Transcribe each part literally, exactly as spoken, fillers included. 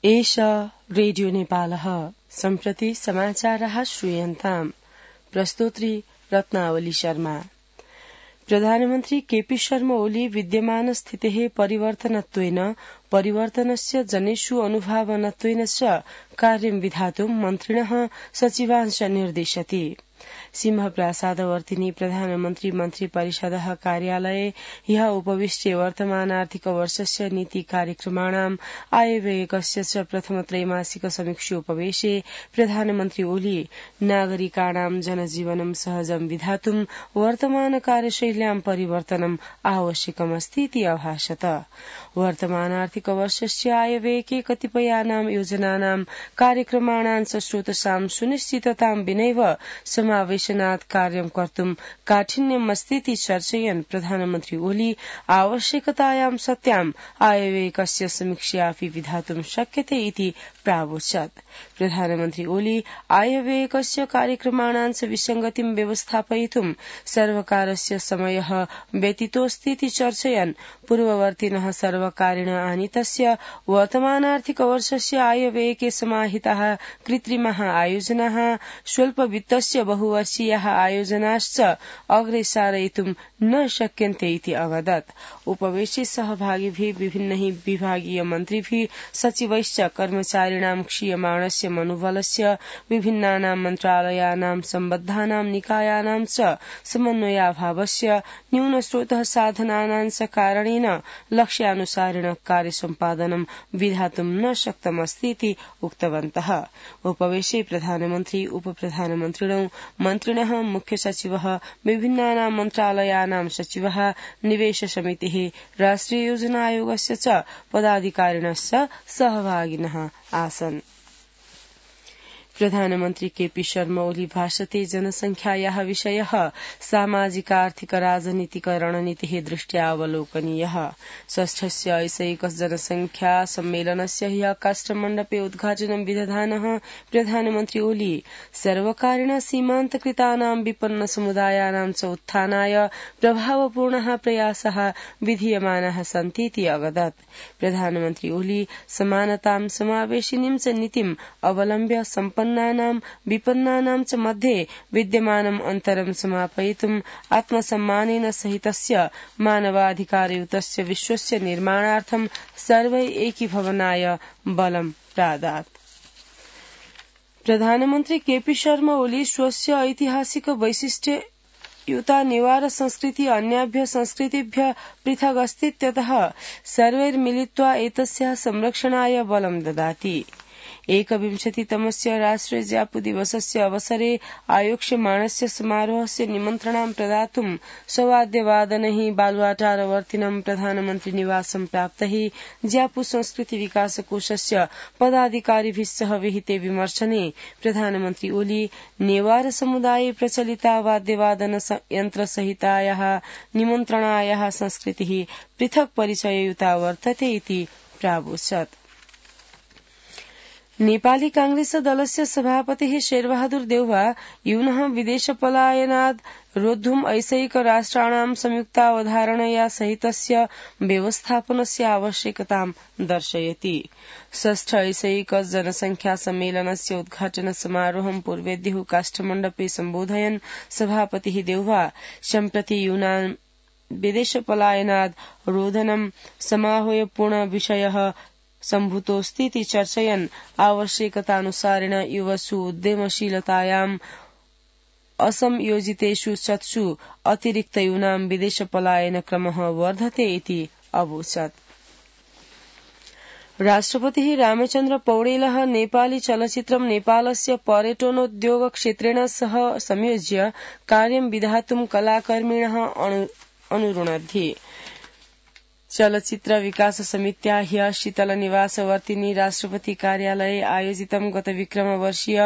एष रेडियो नेपालः सम्प्रति समाचारः श्रूयन्ताम्। प्रस्तोत्री रत्नावली शर्मा। प्रधानमन्त्री केपी शर्मा ओली विद्यमान स्थितेः परिवर्तनत्वेन परिवर्तनस्य जनेषु अनुभावनत्वेन च कार्यं विधातुं मन्त्रिणः सचिवांश निर्दिशति। सिंहप्रासादवर्तिनी प्रधानमन्त्री मन्त्री परिषदः कार्यालये ह्यः उपविष्टे वर्तमान आर्थिक वर्षस्य नीति कार्यक्रमाणाम् आयव्ययकस्य च प्रथम त्रैमासिक समीक्षोपवेशे प्रधानमन्त्री ओली नागरिकाणां जनजीवनं सहजं विधातुं वर्तमान कार्यशैल्यां परिवर्तनम् आवश्यकमस्तीति अभाषत। वर्तमान आर्थिक वर्षस्य आयव्ययके कतिपयानां योजनानां कार्यक्रमाणां च स्रोतसां सुनिश्चिततां विनैव समावेशनात् कार्यं कर्तुं काठिन्यमस्तीति चर्चयन् प्रधानमन्त्री ओली आवश्यकतायां सत्याम् आयव्ययकस्य समीक्षापि विधातुं शक्यते इति प्रावोचत्। प्रधानमन्त्री ओली आयव्ययकस्य कार्यक्रमाणां च विसंगतिं व्यवस्थापयितुं सर्वकारस्य समयः व्यतीतोऽस्तीति चर्चयन् पूर्ववर्तिनः सर्वकारेण आनीतस्य वर्तमानार्थिक वर्षस्य आयव्ययके समाहिताः कृत्रिमाः आयोजनाः स्वल्पवित्तस्य बहुवर्षीयाः आयोजनाश्च अग्रे सारयितुं न शक्यन्ते इति अवदत्। उपवेशे सहभागिभिः विभिन्नैः विभागीय मन्त्रिभिः सचिवैश्च कर्मचारिणां क्षीयमाणस्य मनोबलस्य विभिन्नानां मन्त्रालयानां सम्बद्धानां निकायानां च समन्वयाभावस्य न्यूनस्रोतः साधनानां च कारणेन लक्ष्यानुसारेण कार्यसम्पादनं विधातुं न शक्तमस्तीति उक्तवन्तः। उपवेशे प्रधानमन्त्री उपप्रधानमन्त्रिणौ मन्त्रिणः मुख्य सचिवः विभिन्नानां मन्त्रालयानां सचिवः निवेश समितिः राष्ट्रिय योजना आयोगस्य च पदाधिकारिणश्च सहभागिनः आसन्। प्रधानमन्त्री केपी शर्मा ओली भाषते जनसंख्यायाः विषयः सामाजिक आर्थिक राजनीतिक रणनीतिः दृष्ट्या अवलोकनीयः। षष्ठस्य ऐसैक जनसंख्या सम्मेलनस्य ह्यः काष्ठमण्डपे उद्घाटनं विदधानः प्रधानमन्त्री ओली सर्वकारेण सीमान्तकृतानां विपन्न समुदायानां च उत्थानाय प्रभावपूर्णः प्रयासः विधीयमानाः सन्तीति अवदत्। प्रधानमन्त्री ओली समानतां समावेशिनीं च नीतिम् अवलम्ब्य सम्पन्न विपन्नानां च मध्ये विद्यमानम् अन्तरं समापयितुम् आत्मसम्मानेन सहितस्य मानवाधिकारयुतस्य विश्वस्य निर्माणार्थं सर्वै एकीभवनाय बलं प्रादात्। प्रधानमन्त्री केपी शर्मा ओली स्वस्य ऐतिहासिक वैशिष्ट्य युता निवार संस्कृति अन्याभ्य संस्कृतिभ्य पृथग् अस्तीत्यतः सर्वैर्मिलित्वा एतस्याः संरक्षणाय बलं ददाति। एकविंशतितमस्य राष्ट्रिय ज्यापु दिवसस्य अवसरे आयोक्ष्यमाणस्य समारोहस्य निमन्त्रणं प्रदातुं सवाद्यवादनैः बालुवाटारवर्तिनं प्रधानमन्त्री निवासं प्राप्तैः ज्यापु संस्कृति विकास कोषस्य पदाधिकारिभिः सह विहिते विमर्शने प्रधानमन्त्री ओली नेवार समुदाये प्रचलिता वाद्यवादन यन्त्रसहितायाः निमन्त्रणायाः संस्कृतिः पृथक् परिचययुता वर्तते इति प्रावोचत्। नेपाली कांग्रेस दलस्य सभापतिः शेरबहादुर देउवा यूनः विदेशपलायनाद् रोद्धुम् ऐसैक राष्ट्राणां संयुक्तावधारणया सहितस्य व्यवस्थापनस्य आवश्यकतां दर्शयति। षष्ठ ऐसैक जनसंख्या सम्मेलनस्य उद्घाटन समारोहं पूर्वेद्युः काष्ठमण्डपे सम्बोधयन् सभापतिः देउवा सम्प्रति यूनां विदेशपलायनाद् रोधनं समाहूय पूर्ण विषयः सम्भूतोऽस्तीति चर्चयन् आवश्यकतानुसारेण युवसु उद्यमशीलतायाम् असंयोजितेषु शतसु अतिरिक्त यूनां विदेशपलायन क्रमः वर्धते इति अवोचत्। राष्ट्रपतिः रामचन्द्र पौडेलः नेपाली चलचित्रं नेपालस्य पर्यटनोद्योग क्षेत्रेण सह संयोज्य कार्यं विधातुं कलाकर्मिणः अनुरुणद्धि। चलचित्र विकास समित्या ह्यः शीतलनिवासवर्तिनी राष्ट्रपति कार्यालये आयोजितं गत विक्रमवर्षीय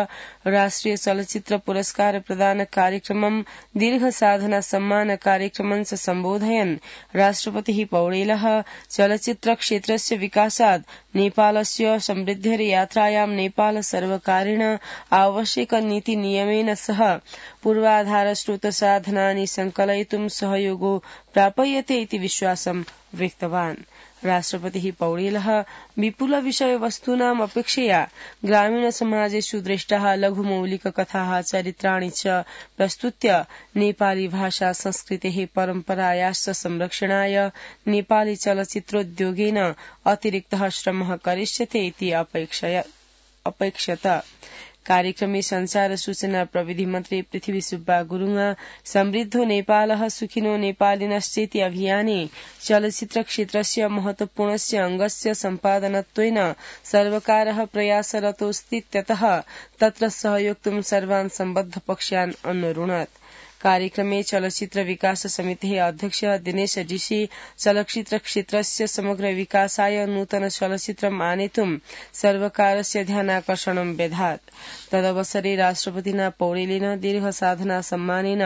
राष्ट्रिय चलचित्र पुरस्कार प्रदान कार्यक्रमं दीर्घ साधना सम्मान कार्यक्रमं च सम्बोधयन् राष्ट्रपतिः पौडेलः चलचित्र क्षेत्रस्य विकासात् नेपालस्य समृद्धिर्यात्रायां नेपाल सर्वकारेण आवश्यक नीति नियमेन सह पूर्वाधार स्रोत साधनानि संकलयितुं सहयोगो प्रापयते इति विश्वासं व्यक्तवान्। राष्ट्रपतिः पौडेलः विपुल विषयवस्तूनाम् अपेक्षया ग्रामीणसमाजेषु दृष्टाः लघुमौलिककथाः चरित्राणि च प्रस्तुत्य नेपाली भाषा संस्कृतेः परम्परायाश्च संरक्षणाय नेपाली चलचित्रोद्योगेन अतिरिक्तः श्रमः करिष्यते इति अपेक्षत। कार्यक्रमे संचार सूचना प्रविधि मन्त्री पृथ्वी सुब्बा गुरुङ समृद्धो नेपालः सुखिनो नेपालिनश्चेति अभियाने चलचित्र क्षेत्रस्य महत्वपूर्णस्य अंगस्य सम्पादनत्वेन सर्वकारः प्रयासरतोऽस्ति त्यतः तत्र सहयोक्तुं सर्वान् सम्बद्ध पक्षान् अनुरुणत्। कार्यक्रमे चलचित्र विकास समितेः अध्यक्ष दिनेश डिसी चलचित्र क्षेत्रस्य समग्र विकासाय नूतन चलचित्रम् आनेतुं सर्वकारस्य ध्यानाकर्षणं व्यधात्। तदवसरे राष्ट्रपतिना पौडेलेन दीर्घ साधना सम्मानेन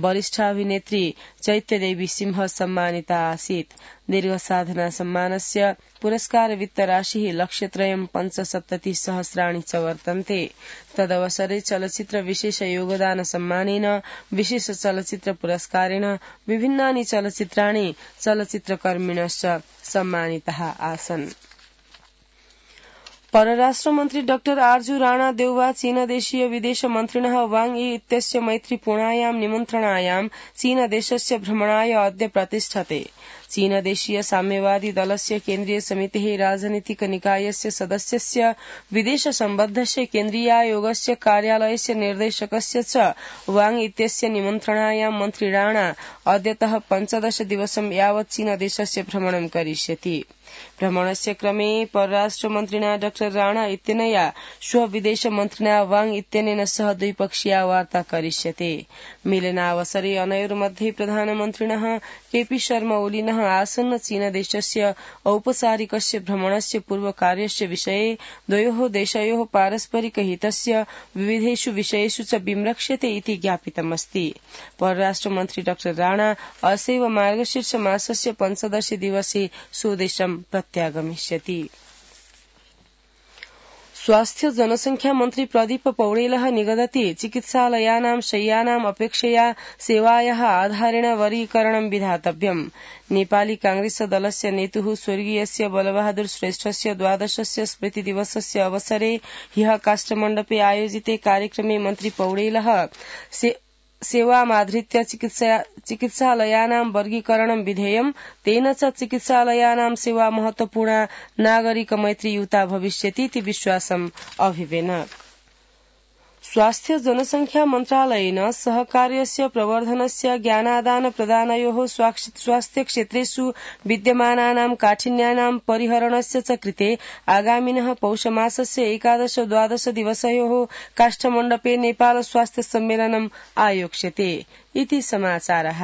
वरिष्ठ अभिनेत्री चैत्यदेवी सिंह सम्मानिता आसीत्। दीर्घ साधना सम्मानस्य पुरस्कार वित्तराशिः लक्षत्रयं पञ्चसप्तति सहस्राणि च वर्तन्ते। तदवसरे चलचित्र विशेष योगदान सम्मानेन विशेष चलचित्र पुरस्कारेण विभिन्नानि चलचित्राणि चलचित्रकर्मिणश्च सम्मानिताः आसन्। परराष्ट्र मन्त्री डाक्टर आर्जू राणा देउवा चीनदेशीय विदेश मन्त्रिणः वाङ यी इत्यस्य मैत्रीपूर्णायां निमन्त्रणायां चीनदेशस्य भ्रमणाय अद्य प्रतिष्ठते। चीनदेशीय साम्यवादी दलस्य केन्द्रीय समितेः राजनीतिक निकायस्य सदस्यस्य विदेश सम्बद्धस्य केन्द्रीयायोगस्य कार्यालयस्य निर्देशकस्य च वाङ इत्यस्य निमन्त्रणायां मन्त्री राणा अद्यतः पञ्चदश दिवसं यावत् चीनदेशस्य भ्रमणं करिष्यति। भ्रमणस्य क्रमे परराष्ट्र मन्त्रिणा डाक्टर राणा इत्यनया श्व विदेश मन्त्रिणा वाङ इत्यनेन सह द्विपक्षीया वार्ता करिष्यते। मेलनावसरे अनयोर्मध्ये प्रधानमन्त्रिणः केपी शर्मा ओलीनः आसन्न चीनदेशस्य औपचारिकस्य भ्रमणस्य पूर्वकार्यस्य विषये द्वयोः देशयोः पारस्परिक हितस्य विविधेषु विषयेषु च विमृक्ष्यते इति ज्ञापितमस्ति। परराष्ट्र मन्त्री डाक्टर राणा असैव मार्गशीर्ष मासस्य पञ्चदश दिवसे स्वदेशं प्रत्यागमिष्यति। स्वास्थ्य जनसंख्या मन्त्री प्रदीप पौडेलः निगदति चिकित्सालयानां शय्यानाम् अपेक्षया सेवायाः आधारेण वर्गीकरणं विधातव्यम्। नेपाली कांग्रेस दलस्य नेतुः स्वर्गीयस्य बलबहादुर श्रेष्ठस्य द्वादशस्य स्मृतिदिवसस्य अवसरे ह्यः काष्ठमण्डपे आयोजिते कार्यक्रमे मन्त्री पौडेलः सेवामाधृत्य चिकित्सालयानां वर्गीकरणं विधेयं तेन च चिकित्सालयानां सेवा महत्वपूर्णा नागरिक मैत्रीयुता भविष्यति इति विश्वासम् अभिवेनत्। स्वास्थ्य जनसंख्या मन्त्रालयेन सहकार्यस्य प्रवर्धनस्य ज्ञानादान प्रदानयोः स्वास्थ्य क्षेत्रेषु विद्यमानानां काठिन्यानां परिहरणस्य च कृते आगामिनः पौषमासस्य एकादश द्वादश दिवसयोः काष्ठमण्डपे नेपाल स्वास्थ्य सम्मेलनम् आयोक्ष्यते इति समाचारः।